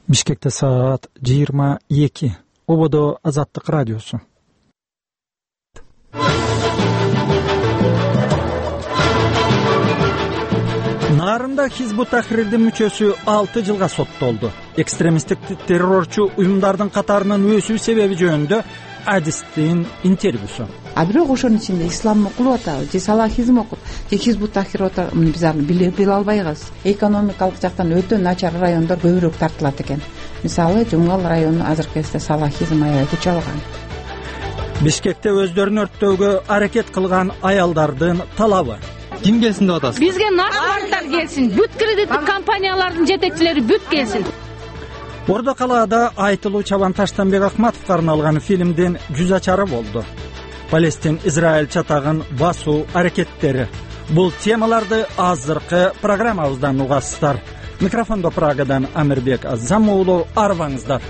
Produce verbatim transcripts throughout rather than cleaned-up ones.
Бишкекте саат жыйырма эки. Ободо Азаттык радиосу. Нарында Хизбут Тахрирдин мүчөсү алты жылга соттолду. Экстремисттик террорчу уюмдардын катарынын өсүү себеби жөнүндө адистин интервьюсу. А бирок ошонун ичинде ислам окулуп атабы же салахизм окуп же Хизбут Тахрир атабы биз аны биле албайбыз. Экономикалык жактан өтө начар райондор көбүрөөк тартылат экен. Мисалы Жумгал району азыркы кезде салахизм аябай күч алган. Бишкекте өздөрүн өрттөөгө аракет кылган аялдардын талабы. Ким келсин деп атасыз? Бизге наркомандар келсин, бүт кредиттик компаниялардын жетекчилери бүт келсин. Ордо калаада айтылуу Чабан Таштанбек Акматовго арналган фильмдин жүз ачары болду. Палестин Израиль чатагын басуу аракеттери. Бул темаларды азыркы программабыздан угасыздар. Микрофондо Прагадан Амирбек Азам уулу, арбаңыздар.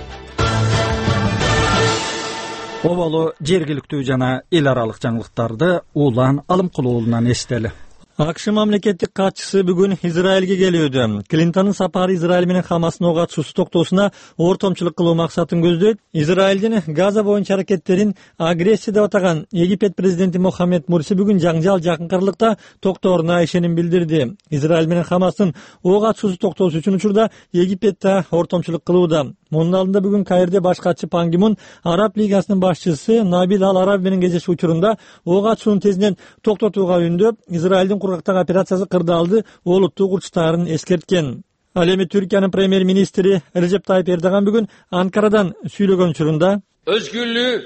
Оболу жергиликтүү жана эл аралык жаңылыктарды Улан Алымкулуулунан эстели. АКШ мамлекеттик катчысы бүгүн Израилге келүүдө. Клинтондун сапары Израиль менен Хамастын ого атышуусу токтоосуна ортомчулук кылуу максатын көздөйт. Израилдин Газа боюнча аракеттерин агрессия деп атаган Египет президенти Мохаммед Мурси бүгүн жаңжал жакын кырлыкта токтооруна ишеним билдирди. Израиль менен Хамастын ого атышуусу токтоосу үчүн учурда Египет да ортомчулук кылууда. Мунун алдында бүгүн Каирде баш катчы Пан Ги Мун Араб лигасынын башчысы Набил Ал-Араби менен кездешүү учурунда ого атышууну тезинен токтотууга үндөп, Израилдин кургактагы операциясы кырдаалды олуттуу курчтаарын эскерткен. Ал эми Түркиянын премьер-министри Режеп Тайип Эрдоган бүгүн Анкарадан сүйлөгөн учурунда өзгүрлүк,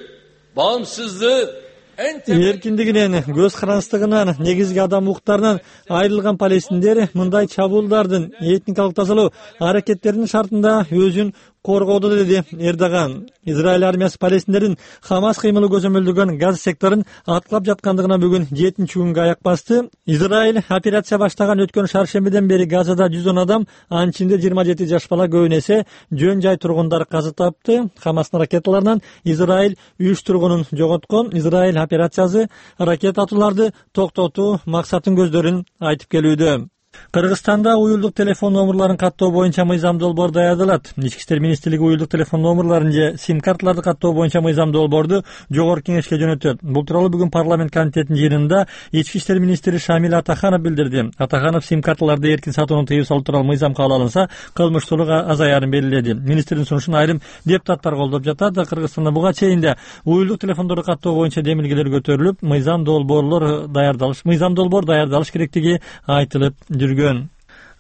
баамсыздык, эркиндигинен, көз карандысынан, негизги адам укуктарынан айрылган палестиндер мындай чабуулдардын этникалык тазалоо аракеттеринин шартында өзүн коргоду, деди Эрдоган. Израиль армиясы палестиндердин Хамас кыймылы көзөмөлдөгөн Газа секторун аткылап жаткандыгына бүгүн жетинчи күнгө аяк басты. Израиль операция баштаган өткөн шаршембиден бери Газада жүз он адам, анын ичинде жыйырма жети жаш бала, көбүн эсе жөн жай тургундар каза тапты. Хамастын ракеталарынан Израиль үч тургунун жоготкон. Израиль операциясы ракета атууларды токтотуу максатын көздөрүн айтып келүүдө. Кыргызстанда уюлдук телефон номурларын каттоо боюнча мыйзам долбоор даярдалат. Ички иштер министрлиги уюлдук телефон номурларын же сим карталарды каттоо боюнча мыйзам долбоорду жогорку кеңешке жөнөтөт. Бул тууралуу бүгүн парламент комитетинин жыйынында Ички иштер министри Шамил Атаханов билдирди. Атаханов сим карталарды эркин сатууну тыюу салуу тууралуу мыйзам кабыл алынса, кылмыштуулук азаярын белгиледи. Министрдин сунушун айрым депутаттар колдоп жатат. Кыргызстанда буга чейин да уюлдук телефондорду каттоо боюнча демилгелер көтөрүлүп, мыйзам долбоорлор даярдалыш, мыйзам долбоор даярдалыш керектиги айтылып жүргөн.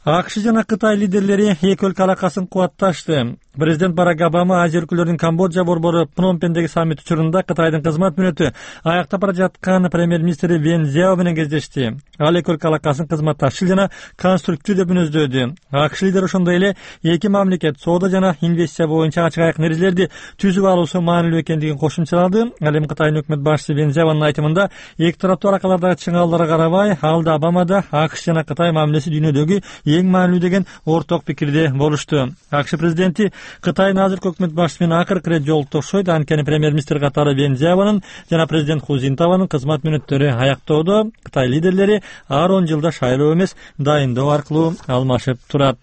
АКШ жана Кытай лидерлери эки өлкө алакасын кубатташты. Президент Барак Обама Азия өлкөлөрүнүн Камбоджа борбору Пномпендеги саммит учурунда Кытайдын кызмат мүнөтү аяктап бара жаткан премьер-министри Вен Цзяо менен кездешти. Ал эки өлкө алакасын кызматташчыл жана конструктив деп мүнөздөдү. АКШ лидери ошондой эле эки мамлекет соода жана инвестиция боюнча ачык айкын эрежелерди түзүп алуусу маанилүү экендигин кошумчалады. Ал эми Кытайдын өкмөт башчысы Вен Цзяонун айтымында эки тараптуу аракалардагы чыңалууларга карабай, ал да Обама да АКШ жана Кытай мамилеси дүйнөдөгү эң маанилүү деген орток пикирде болушту. АКШ президенти Кытайдын азыркы өкмөт башчысы менен акыркы ирет жолуктошойт. Анткени премьер-министр катары Вен Цзяонун жана президент Ху Цзинтаонун кызмат мүнөттөрү аяктоодо. Кытай лидерлери ар он жылда шайлоо эмес, дайындоо аркылуу алмашып турат.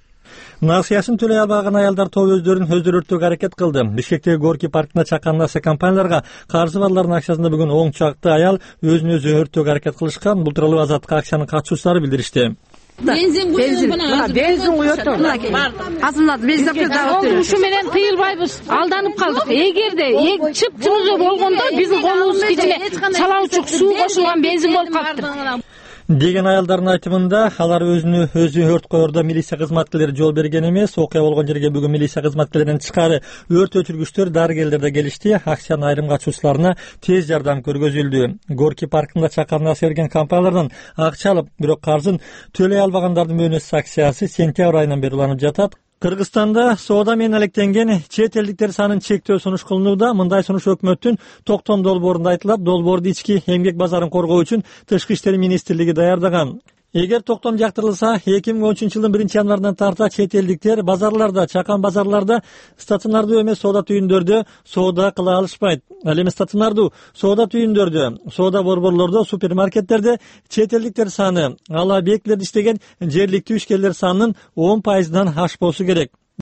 Насыясын төлөй албаган аялдар тобу өздөрүн өздөрү өрттөөгө аракет кылды. Бишкектеги Горки паркында чакан насыя компанияларга каршы балдардын акциясында бүгүн он чакты аял өзүн өзү өрттөөгө аракет кылышкан. Бул тууралуу Азаттык акциянын катышуучулары билдиришти. Бензин бензин бензин куйотто. Азымдады бензин да. Ушу менен тыйылбайбыз. Алданып калдык. Эгерде чып-чымызы болгондо биздин колубуз кичине чалаучук суу кошулган бензин болуп калыптыр деген аялдардын айтымында, алар өзүнү өзү өрт коердо милиция кызматкерлери жол берген эмес. Окуя болгон жерге бүгүн милиция кызматкерлеринен тышкары өрт өчүргүчтөр, дарыгерлер да келишти. Акциянын айрым катышуучуларына тез жардам көргөзүлдү. Горки паркында чакан насыя берген компаниялардан акча алып, бирок каржын төлөй албагандардын мөөнөтсүз акциясы сентябрь айынан бери уланып жатат. Кыргызстанда соода менен алектенген чет элдиктер санын чектөө сунуш кылынууда. Мындай сунуш өкмөттүн токтом долбоорунда айтылат. Долбоорду ички эмгек базарын коргоо үчүн Тышкы иштер министрлиги даярдаган. Эгер токтом жактырылса, эки миң он үчүнчү жылдын биринчи январынан тарта чет элдиктер базарларда, чакан базарларда, стационардуу эмес соода түйүндөрдө соода кыла алышпайт. Ал эми стационардуу соода түйүндөрдө, соода борборлордо, супермаркеттерде чет элдиктер саны ал объектилерде иштеген жергиликтүү ишкерлер санынын он пайызынан ашпоосу керек.